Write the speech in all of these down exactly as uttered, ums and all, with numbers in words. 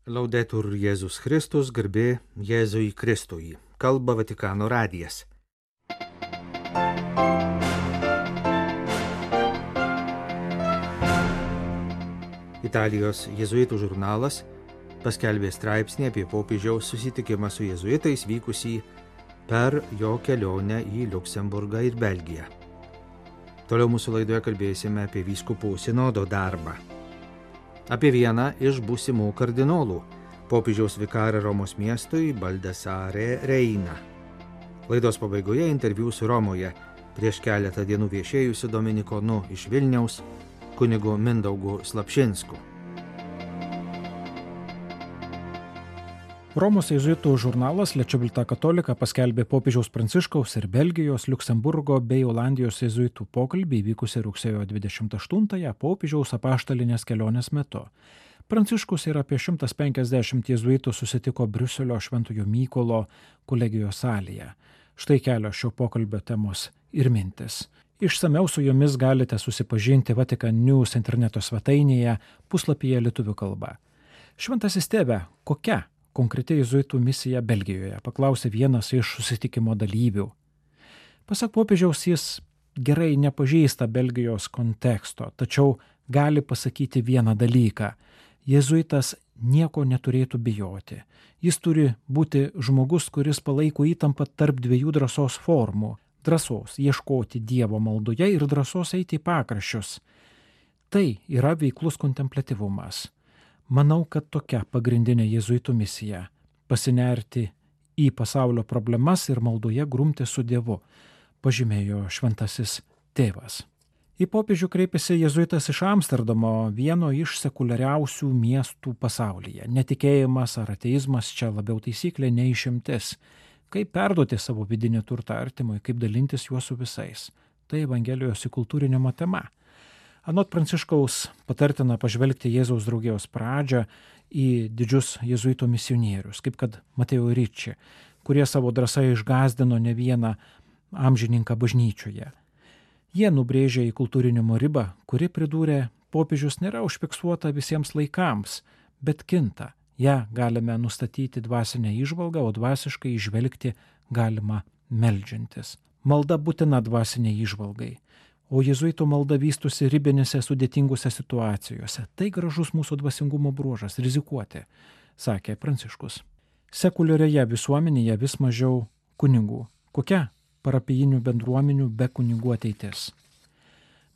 Laudetur Jėzus Kristus, garbė Jėzui Kristui. Kalba Vatikano radijas. Italijos jėzuitų žurnalas paskelbė straipsnį apie popiežiaus susitikimą su jėzuitais vykusį per jo kelionę į Liuksemburgą ir Belgiją. Toliau mūsų laidoje kalbėsime apie vyskupų sinodo darbą. Apie vieną iš būsimų kardinolų, popiežiaus vikarą Romos miestui Baldasare Reina. Laidos pabaigoje interviu su Romoje prieš keletą dienų viešėjusiu dominikonu iš Vilniaus, kunigu Mindaugu Slapšinsku. Romos jėzuitų žurnalas Le Civiltà Cattolica paskelbė popiežiaus Pranciškaus ir Belgijos, Liuksemburgo bei Olandijos jėzuitų pokalbį vykusį rugsėjo dvidešimt aštuntąją popiežiaus apaštalinės kelionės metu. Pranciškus ir apie šimtas penkiasdešimt jėzuitų susitiko Briuselio Šventojo Mykolo kolegijos salėje. Štai kelios šio pokalbio temos ir mintis. Išsamiau su jomis galite susipažinti Vatican News interneto svetainėje puslapyje lietuvių kalba. Šventasis tėve, kokia konkreti jėzuitų misija Belgijoje, paklausė vienas iš susitikimo dalyvių. Pasak popiežiaus, jis gerai nepažįsta Belgijos konteksto, tačiau gali pasakyti vieną dalyką. Jėzuitas nieko neturėtų bijoti. Jis turi būti žmogus, kuris palaiko įtampą tarp dviejų drąsos formų. Drąsos ieškoti Dievo maldoje ir drąsos eiti į pakraščius. Tai yra veiklus kontempliatyvumas. Manau, kad tokia pagrindinė jėzuitų misija – pasinerti į pasaulio problemas ir maldoje grumti su Dievu, pažymėjo šventasis tėvas. Į popiežių kreipėsi jėzuitas iš Amsterdamo, vieno iš sekuliariausių miestų pasaulyje. Netikėjimas ar ateizmas čia labiau taisyklė, nei išimtis. Kaip perduoti savo vidinį turtą artimui, kaip dalintis juo su visais. Tai Evangelijos įkultūrinimo tema. Anot Pranciškaus patartina pažvelgti Jėzaus draugijos pradžią į didžius jėzuitų misionierius, kaip kad Mateo Ricci, kurie savo drąsą išgąsdino ne vieną amžininką bažnyčioje. Jie nubrėžė įkultūrinimo ribą, kuri, pridūrė, popiežius nėra užfiksuota visiems laikams, bet kinta. Ja galime nustatyti dvasinę įžvalgą, o dvasiškai įžvelgti galima meldžiantis. Malda būtina dvasiniai įžvalgai. O jėzuitų malda vystosi ribinėse sudėtingose situacijose. Tai gražus mūsų dvasingumo bruožas – rizikuoti, sakė Pranciškus. Sekuliarioje visuomenėje vis mažiau kunigų. Kokia parapijinių bendruomenių be kunigų ateitis?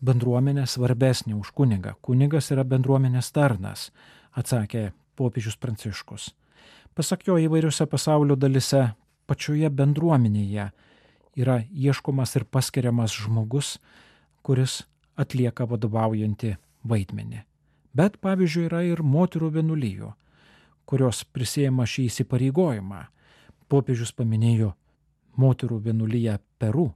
Bendruomenė svarbesnė už kunigą. Kunigas yra bendruomenės tarnas, atsakė popiežius Pranciškus. Pasak jo, įvairiose pasaulio dalise pačioje bendruomenėje yra ieškomas ir paskiriamas žmogus, kuris atlieka vadovaujantį vaidmenį. Bet, pavyzdžiui, yra ir moterų vienuolijų, kurios prisiima šį įsipareigojimą. Popiežius paminėjo moterų vienuoliją Peru.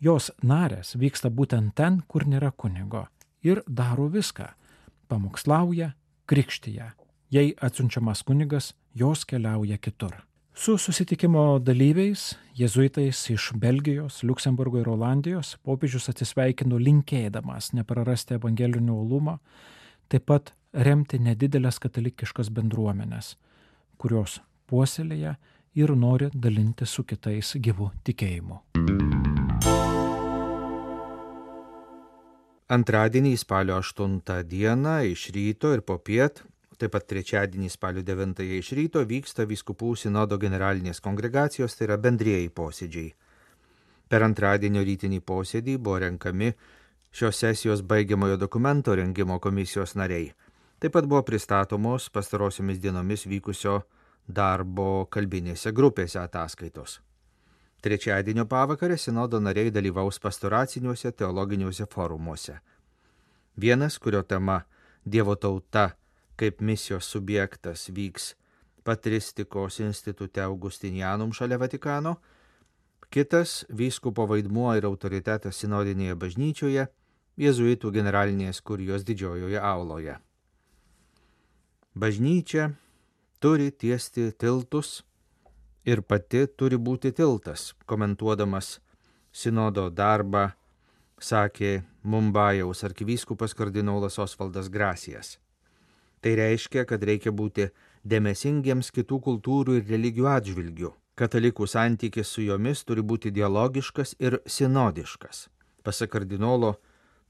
Jos narės vyksta būtent ten, kur nėra kunigo, ir daro viską. Pamokslauja, krikštyja. Jei atsiunčiamas kunigas, jos keliauja kitur. Su susitikimo dalyviais, jėzuitais iš Belgijos, Liuksemburgo ir Olandijos, popiežius atsisveikino linkėdamas neprarasti evangelinio uolumo, taip pat remti nedidelės katalikiškas bendruomenės, kurios puoselėja ir nori dalinti su kitais gyvu tikėjimu. Antradienį spalio aštuntą dieną iš ryto ir popiet, taip pat trečiadienį spalio devintąją iš ryto vyksta vyskupų sinodo generalinės kongregacijos, tai yra bendrieji posėdžiai. Per antradienio rytinį posėdį buvo renkami šios sesijos baigiamojo dokumento rengimo komisijos nariai. Taip pat buvo pristatomos pastarosiomis dienomis vykusio darbo kalbinėse grupėse ataskaitos. Trečiadienio pavakarę sinodo nariai dalyvaus pastoraciniuose teologiniuose forumuose. Vienas, kurio tema Dievo tauta kaip misijos subjektas, vyks Patristikos institute Augustinianum šalia Vatikano, kitas vyskupo vaidmuo ir autoritetas sinodinėje bažnyčioje, jėzuitų generalinės kurijos didžiojoje auloje. Bažnyčia turi tiesti tiltus ir pati turi būti tiltas, komentuodamas sinodo darbą, sakė Mumbajaus arkivyskupas kardinolas Osvaldas Grasijas. Tai reiškia, kad reikia būti dėmesingiems kitų kultūrų ir religijų atžvilgių. Katalikų santykis su jomis turi būti dialogiškas ir sinodiškas. Pasak kardinolo,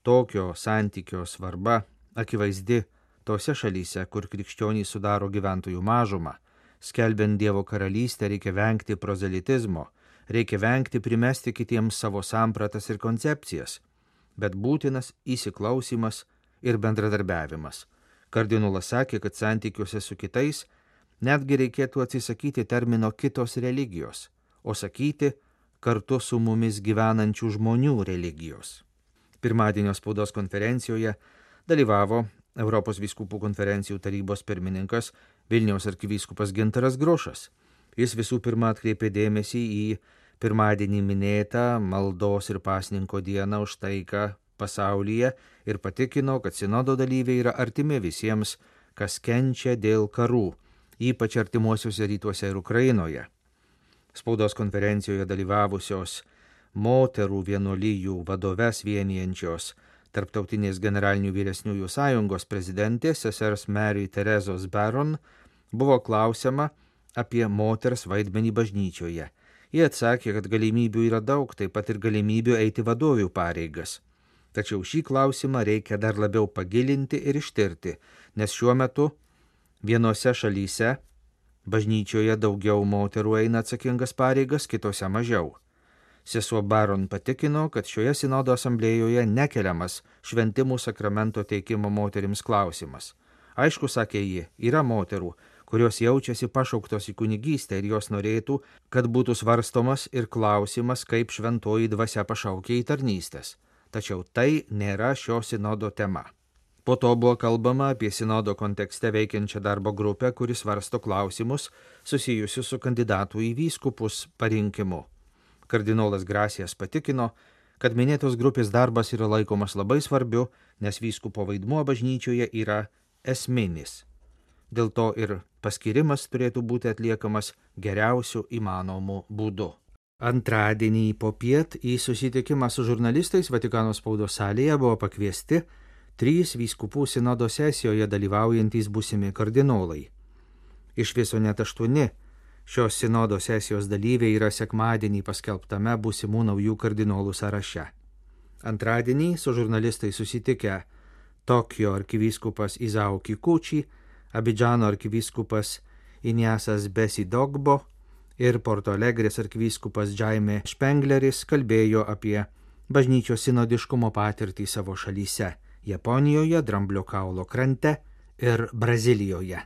tokio santykio svarba akivaizdi tose šalyse, kur krikščionys sudaro gyventojų mažumą. Skelbiant Dievo karalystę reikia vengti prozelitizmo, reikia vengti primesti kitiems savo sampratas ir koncepcijas, bet būtinas įsiklausimas ir bendradarbiavimas. Kardinolas sakė, kad santykiuose su kitais netgi reikėtų atsisakyti termino kitos religijos, o sakyti kartu su mumis gyvenančių žmonių religijos. Pirmadienio spaudos konferencijoje dalyvavo Europos vyskupų konferencijų tarybos pirmininkas Vilniaus arkivyskupas Gintaras Grušas. Jis visų pirma atkreipė dėmesį į pirmadienį minėtą maldos ir pasninko dieną už taiką pasaulyje ir patikino, kad sinodo dalyviai yra artimi visiems, kas kenčia dėl karų, ypač artimuosiuose rytuose ir Ukrainoje. Spaudos konferencijoje dalyvavusios moterų vienuolijų vadoves vienijančios Tarptautinės generalinių vyresniųjų sąjungos prezidentės sesers Mary Terezos Baron buvo klausiama apie moters vaidmenį bažnyčioje. Jie atsakė, kad galimybių yra daug, taip pat ir galimybių eiti vadovių pareigas. Tačiau šį klausimą reikia dar labiau pagilinti ir ištirti, nes šiuo metu vienose šalyse bažnyčioje daugiau moterų eina atsakingas pareigas, kitose mažiau. Sesuo Baron patikino, kad šioje sinodo asamblėjoje nekeliamas šventimų sakramento teikimo moterims klausimas. Aišku, sakė ji, yra moterų, kurios jaučiasi pašauktos į kunigystę ir jos norėtų, kad būtų svarstomas ir klausimas, kaip šventoji dvasia pašaukia į tarnystės. Tačiau tai nėra šio sinodo tema. Po to buvo kalbama apie sinodo kontekste veikiančią darbo grupę, kuris svarsto klausimus susijusius su kandidatų į vyskupus parinkimu. Kardinolas Grasijas patikino, kad minėtos grupės darbas yra laikomas labai svarbiu, nes vyskupo vaidmuo bažnyčioje yra esminis. Dėl to ir paskirimas turėtų būti atliekamas geriausiu įmanomu būdu. Antradienį popiet į susitikimą su žurnalistais Vatikano spaudos salėje buvo pakviesti trys vyskupų sinodo sesijoje dalyvaujantys būsimi kardinolai. Iš viso net aštuoni šios sinodo sesijos dalyviai yra sekmadienį paskelbtame būsimų naujų kardinolų sąraše. Antradienį su žurnalistais susitikę Tokijo arkivyskupas Izao Kikuchi, Abidžano arkivyskupas Iniasas Besidogbo ir Porto Alegrės arkivyskupas Jaime Špengleris kalbėjo apie bažnyčios sinodiškumo patirtį savo šalyse – Japonijoje, Dramblio kaulo krante ir Brazilijoje.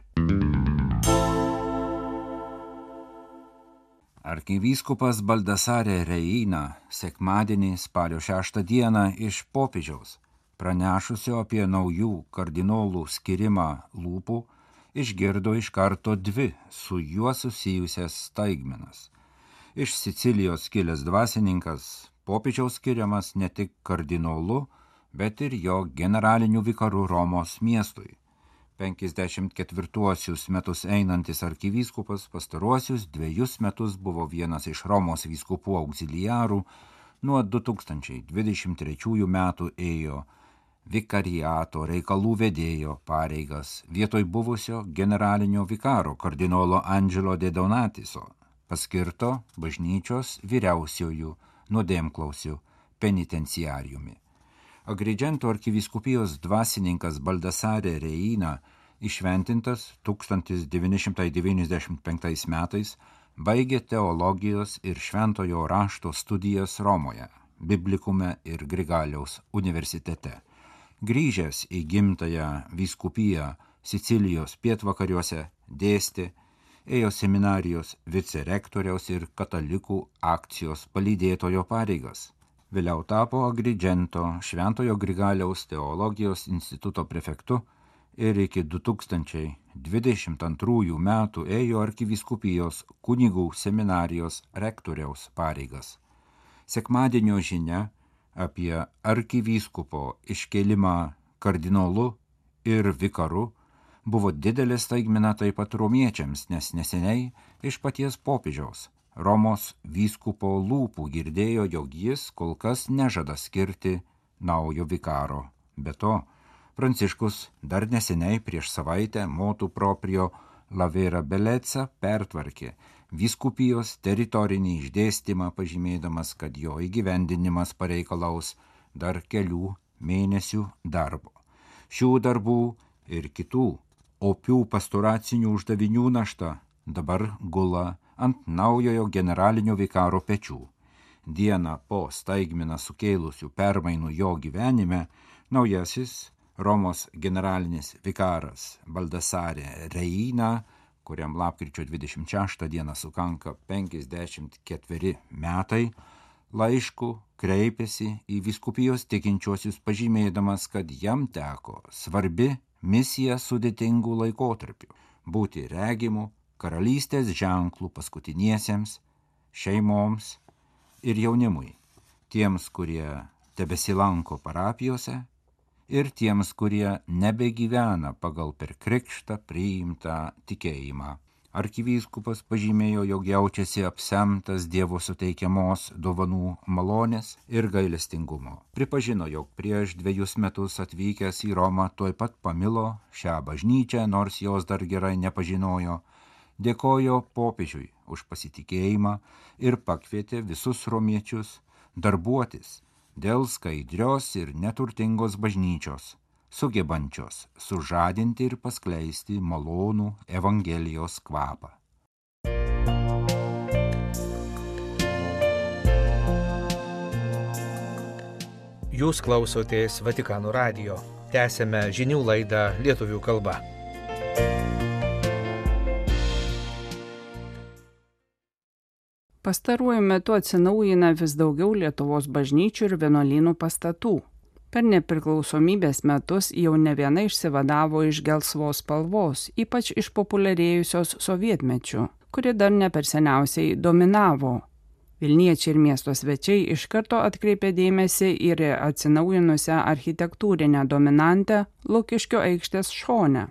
Arkivyskupas Baldasarė Reina sekmadienį spalio šeštą dieną iš popiežiaus, pranešusio apie naujų kardinolų skirimą lūpų, išgirdo iš karto dvi su juo susijusias staigmenas. Iš Sicilijos kilęs dvasininkas popiežiaus skiriamas ne tik kardinolu, bet ir jo generaliniu vikaru Romos miestui. penkiasdešimt ketvirtuosius metus einantis arkivyskupas pastaruosius dviejus metus buvo vienas iš Romos vyskupų auxiliarų, nuo du tūkstančiai dvidešimt trečiųjų metų ėjo vikariato reikalų vedėjo pareigas vietoj buvusio generalinio vikaro kardinolo Angelo de Donatiso, paskirto bažnyčios vyriausiojų nuodėmklausių penitenciariumi. Agrigento arkivyskupijos dvasininkas Baldasarė Reina, išventintas tūkstantis devyni šimtai devyniasdešimt penktais metais, baigė teologijos ir šventojo rašto studijas Romoje, Biblikume ir Grigaliaus universitete. Grįžęs į gimtąją vyskupiją Sicilijos pietvakariuose dėstė, ėjo seminarijos vicerektoriaus ir katalikų akcijos palydėtojo pareigas. Vėliau tapo Agrigento Šventojo Grigaliaus teologijos instituto prefektu ir iki du tūkstančiai dvidešimt antrųjų metų ėjo arkivyskupijos kunigų seminarijos rektoriaus pareigas. Sekmadienio žinia apie arkivyskupo iškėlimą kardinolu ir vikaru buvo didelė staigmena taip pat romiečiams, nes neseniai iš paties popiežiaus Romos vyskupo lūpų girdėjo, jog jis kol kas nežada skirti naujo vikaro. Be to, Pranciškus dar neseniai prieš savaitę motu proprio Lavera Beleca pertvarkė vyskupijos teritorinį išdėstymą, pažymėdamas, kad jo įgyvendinimas pareikalaus dar kelių mėnesių darbo. Šių darbų ir kitų opių pastoracinių uždavinių našta dabar gula ant naujojo generalinio vikaro pečių. Dieną po staigmeną sukėlusių permainų jo gyvenime, naujasis Romos generalinis vikaras Baldassare Reina, kuriam lapkričio dvidešimt šeštą dieną sukanka penkiasdešimt ketveri metai, laišku kreipėsi į vyskupijos tikinčiuosius, pažymėdamas, kad jam teko svarbi misija sudėtingų laikotarpių – būti regimu karalystės ženklų paskutiniesiems, šeimoms ir jaunimui, tiems, kurie tebesilanko parapijose ir tiems, kurie nebegyvena pagal per krikštą priimtą tikėjimą. Arkivyskupas pažymėjo, jog jaučiasi apsemtas Dievo suteikiamos dovanų malonės ir gailestingumo. Pripažino, jog prieš dviejus metus atvykęs į Romą tuoj pat pamilo šią bažnyčią, nors jos dar gerai nepažinojo, dėkojo popiežiui už pasitikėjimą ir pakvietė visus romiečius darbuotis dėl skaidrios ir neturtingos bažnyčios, sugebančios sužadinti ir paskleisti malonų Evangelijos kvapą. Jūs klausotės Vatikano radijo. Tęsėme žinių laidą lietuvių kalba. Pastaruoju metu atsinaujina vis daugiau Lietuvos bažnyčių ir vienuolynų pastatų. Per nepriklausomybės metus jau ne viena išsivadavo iš gelsvos spalvos, ypač išpopuliarėjusios sovietmečiu, kuri dar ne per seniausiai dominavo. Vilniečiai ir miesto svečiai iš karto atkreipė dėmesį ir atsinaujinusią architektūrinę dominantę Lukiškių aikštės šone.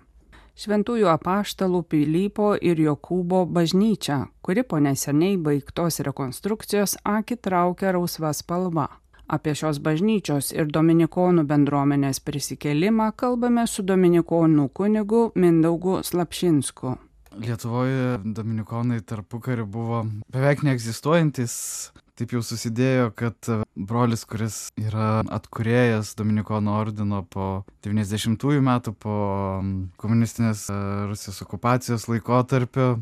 Šventųjų apaštalų Pilypo ir Jokūbo bažnyčia, kuri po neseniai baigtos rekonstrukcijos akį traukia rausva spalva. Apie šios bažnyčios ir dominikonų bendruomenės prisikėlimą kalbame su dominikonų kunigu Mindaugu Slapšinsku. Lietuvoje dominikonai tarpukariu buvo beveik neegzistuojantis. Taip jau susidėjo, kad brolis, kuris yra atkūrėjas Dominikonų ordino po devyniasdešimtųjų metų, po komunistinės Rusijos okupacijos laikotarpio,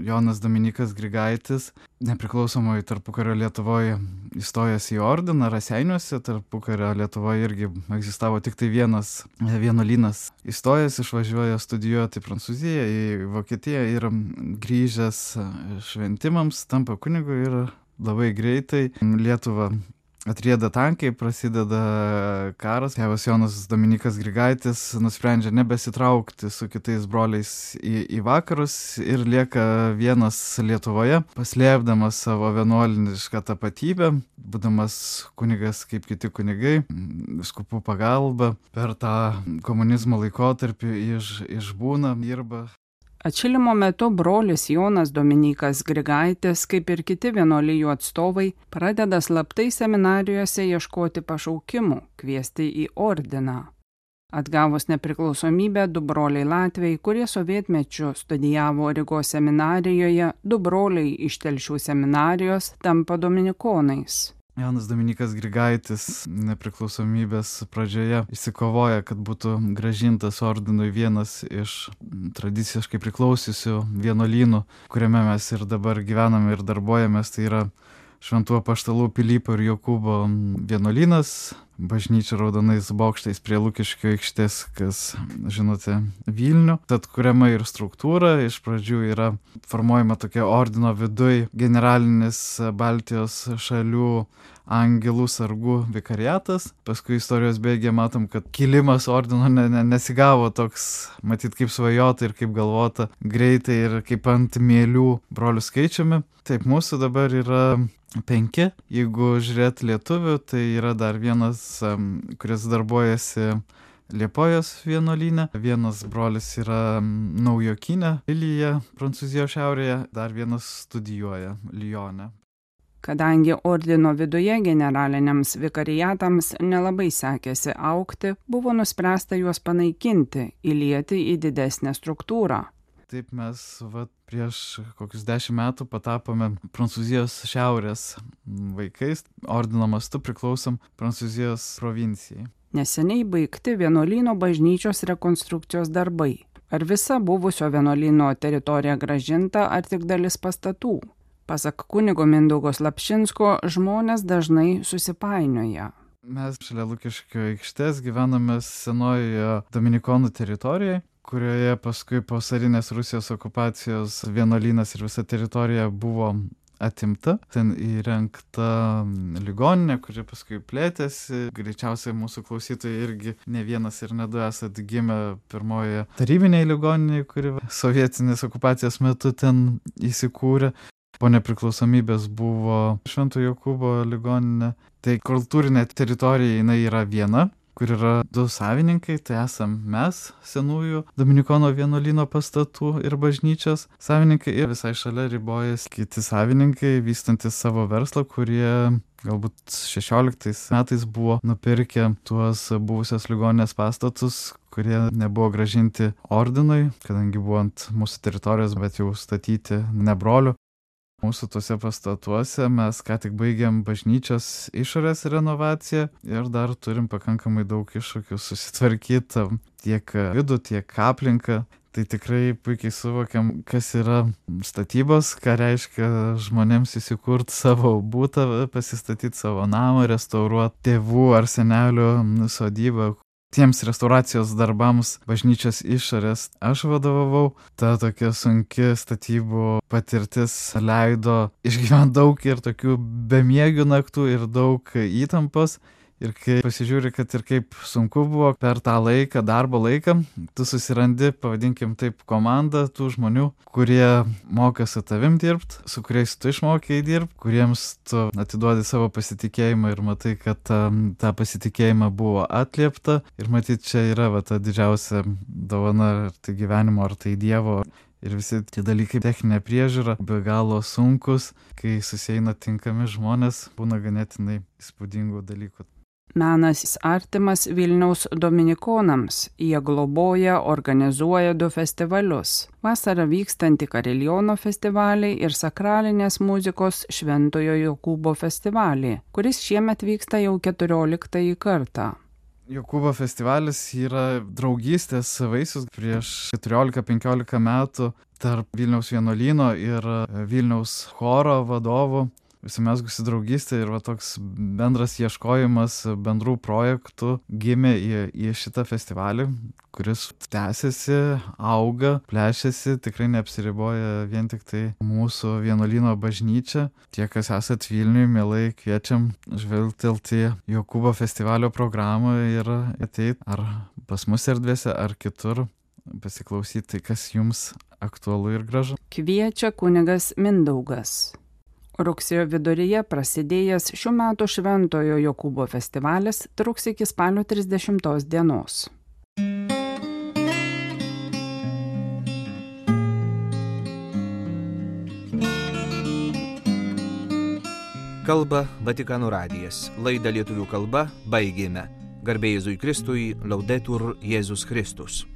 Jonas Dominykas Grigaitis, nepriklausomai tarpukario Lietuvoje įstojęs į ordiną Raseiniuose, tarpukario Lietuvoje irgi egzistavo tik tai vienas vienuolynas. Įstojęs išvažiuoja studijuoti Prancūziją, į Vokietiją ir grįžęs šventimams tampa kunigu ir labai greitai Lietuvą atrieda tankai, prasideda karas. Tėvas Jonas Dominykas Grigaitis nusprendžia nebesitraukti su kitais broliais į, į vakarus ir lieka vienas Lietuvoje, paslėpdamas savo vienuolinišką tapatybę, būdamas kunigas kaip kiti kunigai, vyskupų pagalba, per tą komunizmo laikotarpį iš, išbūna, dirba. Atšilimo metu brolis Jonas Dominykas Grigaitis, kaip ir kiti vienuolijų atstovai, pradeda slaptai seminarijose ieškoti pašaukimų, kviesti į ordiną. Atgavus nepriklausomybę, du broliai latviai, kurie sovietmečiu studijavo Rygos seminarijoje, du broliai iš Telšių seminarijos tampa dominikonais. Jonas Dominykas Grigaitis nepriklausomybės pradžioje išsikovoja, kad būtų grąžintas ordinui vienas iš tradiciškai priklausiusių vienuolynų, kuriame mes ir dabar gyvename ir darbuojamės, tai yra Šventų apaštalų Pilypo ir Jokūbo vienuolynas, bažnyčia raudonais bokštais prie Lukiškių aikštės, kas žinote Vilnių. Tad kuriama ir struktūra, iš pradžių yra formuojama tokia ordino viduj generalinis Baltijos šalių angelų sargų vikariatas. Paskui istorijos bėgyje matom, kad kilimas ordino ne, ne, nesigavo toks, matyt, kaip svajota ir kaip galvota greitai ir kaip ant mielių brolių skaičiumi. Taip, mūsų dabar yra penki. Jeigu žiūrėt lietuvių, tai yra dar vienas, kuris darbuojasi Liepojos vienuolyne. Vienas brolis yra Naujokyne, Lilija, Prancūzijos šiaurėje, dar vienas studijuoja Lyone. Kadangi ordino viduje generaliniams vikariatams nelabai sekėsi augti, buvo nuspręsta juos panaikinti, įlieti į didesnę struktūrą. taip mes va, prieš kokius dešimt metų patapome Prancūzijos šiaurės vaikais, ordino mastu priklausom Prancūzijos provincijai. Neseniai baigti vienuolyno bažnyčios rekonstrukcijos darbai. Ar visa buvusio vienuolyno teritorija grąžinta, ar tik dalis pastatų? Pasak kunigo Mindaugo Slapšinsko, žmonės dažnai susipainioja. Mes šalia Lukiškių aikštės gyvename senojoje dominikonų teritorijoje, kurioje paskui po carinės Rusijos okupacijos vienuolynas ir visa teritorija buvo atimta. Ten įrengta ligoninė, kuri paskui plėtėsi. Greičiausiai mūsų klausytojai irgi ne vienas ir ne du esat gimę pirmojoje tarybinėje ligoninėje, kuri sovietinės okupacijos metu ten įsikūrė. Po nepriklausomybės buvo Švento Jokūbo ligoninė. Tai kultūrinė teritorija jinai yra viena, kur yra du savininkai, tai esam mes, senųjų Dominikono vienuolyno pastatų ir bažnyčios savininkai, ir visai šalia ribojas kiti savininkai, vystantis savo verslą, kurie galbūt šešioliktais metais buvo nupirkę tuos buvusios ligoninės pastatus, kurie nebuvo grąžinti ordinui, kadangi buvo ant mūsų teritorijos, bet jau statyti ne brolių. Mūsų tuose pastatuose mes ką tik baigėm bažnyčios išorės renovaciją ir dar turim pakankamai daug iššūkių susitvarkyti tiek vidų, tiek aplinką. Tai tikrai puikiai suvokiam, kas yra statybos, ką reiškia žmonėms įsikurti savo būtą, pasistatyti savo namą, restauruoti tėvų ar senelių sodybą. Tiems restauracijos darbams bažnyčios išorės aš vadovavau. Ta tokia sunki statybų patirtis leido išgyventi daug ir tokių bemiegių naktų ir daug įtampos. Ir kai pasižiūri, kad ir kaip sunku buvo per tą laiką, darbo laiką, tu susirandi, pavadinkim taip, komandą tų žmonių, kurie moka su tavim dirbti, su kuriais tu išmokėjai dirbti, kuriems tu atiduodi savo pasitikėjimą ir matai, kad um, tą pasitikėjimą buvo atliepta. Ir matyt, čia yra va, ta didžiausia dovana, ar tai gyvenimo, ar tai Dievo. Ir visi tie dalykai, techninė priežiūra, be galo sunkus, kai susieina tinkami žmonės, būna ganėtinai įspūdingų dalykų. Menas artimas Vilniaus dominikonams. Jie globoja, organizuoja du festivalius. Vasarą vykstantį Kariliono festivalį ir sakralinės muzikos Šventojo Jokūbo festivalį, kuris šiemet vyksta jau keturioliktąjį kartą. Jokūbo festivalis yra draugystės vaisius prieš keturiolika penkiolika metų tarp Vilniaus vienuolyno ir Vilniaus choro vadovų. Užsimezgusi draugystė ir va toks bendras ieškojimas bendrų projektų gimė į, į šitą festivalį, kuris tęsiasi, auga, plėšiasi, tikrai neapsiriboja vien tik tai mūsų vienuolyno bažnyčia. Tie, kas esat Vilniuje, mielai kviečiam žvelgtelti Jokūbo festivalio programą ir ateit ar pas mus erdvėse, ar kitur pasiklausyti, kas jums aktualu ir gražu. Kviečia kunigas Mindaugas. Rugsėjo viduryje prasidėjęs šių metų Šventojo Jokūbo festivalis truks iki spalio trisdešimtos dienos. Kalba Vatikano radijas. Laidą lietuvių kalba baigėme. Garbė Jėzui Kristui, Laudetur Jėzus Kristus.